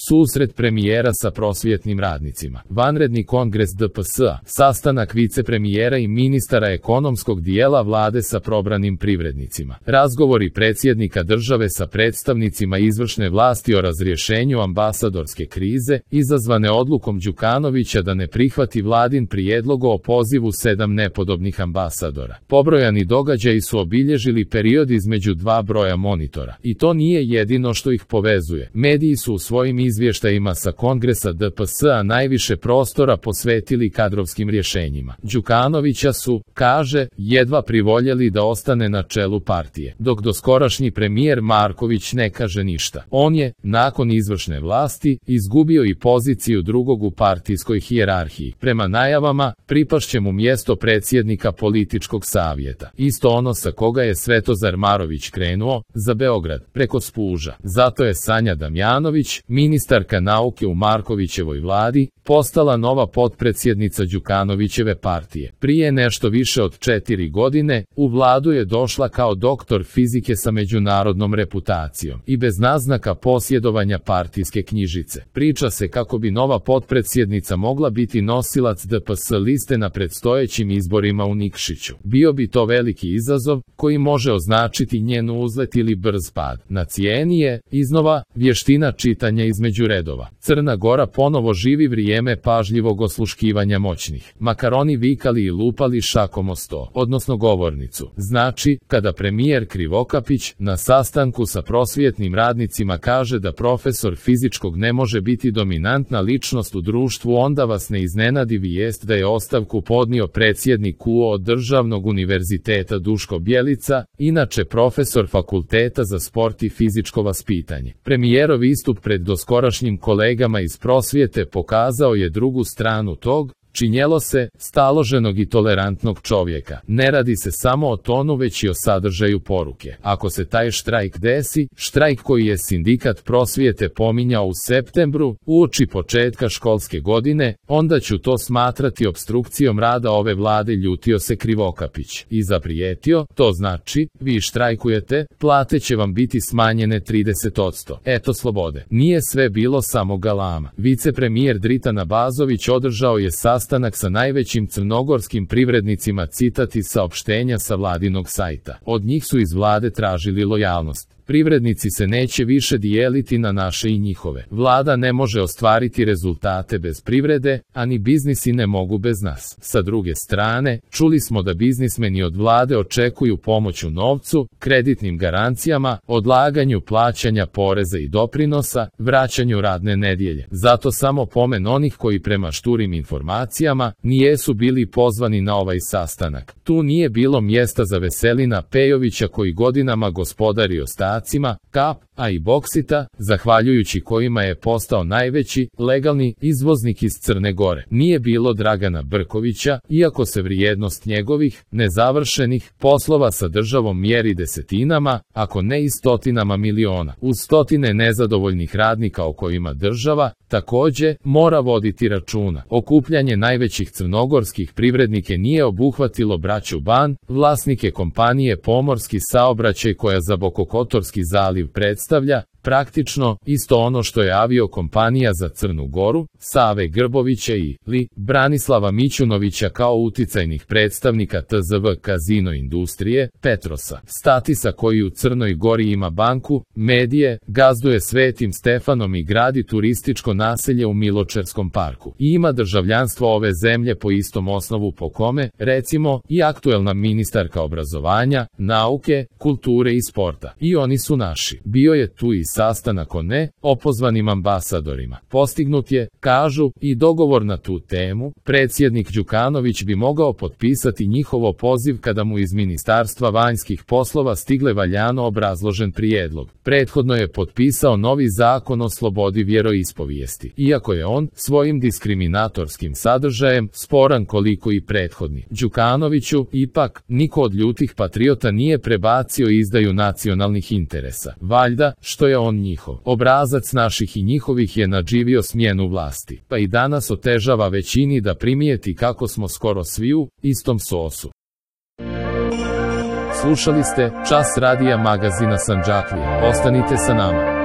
susret premijera sa prosvjetnim radnicima, vanredni kongres DPS-a, sastanak vicepremijera i ministara ekonomskog dijela vlade sa probranim privrednicima, razgovori predsjednika države sa predstavnicima izvršne vlasti o razrješenju ambasadorske krize, izazvane odlukom Đukanovića da ne prihvati vladin prijedlog o pozivu 7 nepodobnih ambasadora. Pobrojani događaji su obilježili period između dva broja monitora. I to nije jedino što ih povezuje. Mediji su u svojim izvještajima sa kongresa DPS-a najviše prostora posvetili kadrovskim rješenjima. Đukanovića su, kaže, jedva privoljeli da ostane na čelu partije, dok doskorašnji premijer Marković ne kaže ništa. On je, nakon izvršne vlasti, izgubio i poziciju drugog u partijskoj hijerarhiji. Prema najavama, pripašće mu mjesto predsjednika političkog savjeta. Isto ono sa koga je Svetozar Marović krenuo, za Beograd, preko Spuža. Zato je Sanja Damjanović, ministarka nauke u Markovićevoj vladi, postala nova potpredsjednica Đukanovićeve partije. Prije nešto više od 4 godine, u vladu je došla kao doktor fizike sa međunarodnom reputacijom i bez naznaka posjedovanja partijske knjižice. Priča se kako bi nova potpredsjednica mogla biti nosilac DPS liste na predstojećim izborima u Nikšiću. Bio bi to veliki izazov, koji može označiti njen uzlet ili brz pad. Na cijeni je, iznova, vještina čitanja između redova. Crna Gora ponovo živi vrijeme pažljivog osluškivanja moćnih. Makaroni vikali i lupali šakom o sto, odnosno govornicu. Znači, kada premijer Krivokapić na sastanku sa prosvjetnim radnicima kaže da profesor fizičkog ne može biti dominantna ličnost u društvu, onda vas ne iznenadi vijest da je ostavku podnio predsjednik UO Državnog univerziteta Duško Bjelica, inače profesor fakulteta za sport i fizičko vaspitanje. Premijerov istup pred doskorašnjim kolegama iz prosvjete pokazao je drugu stranu tog, činjelo se, staloženog i tolerantnog čovjeka. Ne radi se samo o tonu, već i o sadržaju poruke. Ako se taj štrajk desi, štrajk koji je sindikat prosvjete pominjao u septembru, uoči početka školske godine, onda ću to smatrati opstrukcijom rada ove vlade, ljutio se Krivokapić i zaprijetio, to znači, vi štrajkujete, plate će vam biti smanjene 30%. Eto slobode. Nije sve bilo samo galama. Vicepremijer Dritan Abazović održao je sastanak sa najvećim crnogorskim privrednicima, citat iz saopštenja sa vladinog sajta. Od njih su iz vlade tražili lojalnost. Privrednici se neće više dijeliti na naše i njihove. Vlada ne može ostvariti rezultate bez privrede, a ni biznisi ne mogu bez nas. Sa druge strane, čuli smo da biznismeni od vlade očekuju pomoć u novcu, kreditnim garancijama, odlaganju plaćanja poreza i doprinosa, vraćanju radne nedjelje. Zato samo pomen onih koji prema šturim informacijama nijesu bili pozvani na ovaj sastanak. Tu nije bilo mjesta za Veselina Pejovića koji godinama gospodari ostacima KAP, a i Boksita, zahvaljujući kojima je postao najveći legalni izvoznik iz Crne Gore. Nije bilo Dragana Brkovića, iako se vrijednost njegovih nezavršenih poslova sa državom mjeri desetinama, ako ne i stotinama miliona. Uz stotine nezadovoljnih radnika o kojima država također mora voditi računa. Okupljanje najvećih crnogorskih privrednike nije obuhvatilo braću Ban, vlasnike kompanije Pomorski saobraćaj koja za Bokokotorski zaliv predstavlja praktično isto ono što je aviokompanija za Crnu Goru, Save Grbovića i Branislava Mićunovića kao uticajnih predstavnika TZV Kazino industrije, Petrosa, Statisa koji u Crnoj Gori ima banku, medije, gazduje Svetim Stefanom i gradi turističko naselje u Miločerskom parku. I ima državljanstvo ove zemlje po istom osnovu po kome, recimo, i aktuelna ministarka obrazovanja, nauke, kulture i sporta. I oni su naši. Bio je tu i sastanak o opozvanim ambasadorima. Postignut je, kažu, i dogovor na tu temu. Predsjednik Đukanović bi mogao potpisati njihov opoziv kada mu iz Ministarstva vanjskih poslova stigle valjano obrazložen prijedlog. Prethodno je potpisao novi zakon o slobodi vjeroispovijesti, iako je on svojim diskriminatorskim sadržajem sporan koliko i prethodni. Đukanoviću, ipak, niko od ljutih patriota nije prebacio izdaju nacionalnih interesa. Valjda, što je on njihov. Obrazac naših i njihovih je nadživio smjenu vlasti, pa i danas otežava većini da primijeti kako smo skoro svi u istom sosu. Slušali ste Čas radija magazina Sandžaklija. Ostanite sa nama.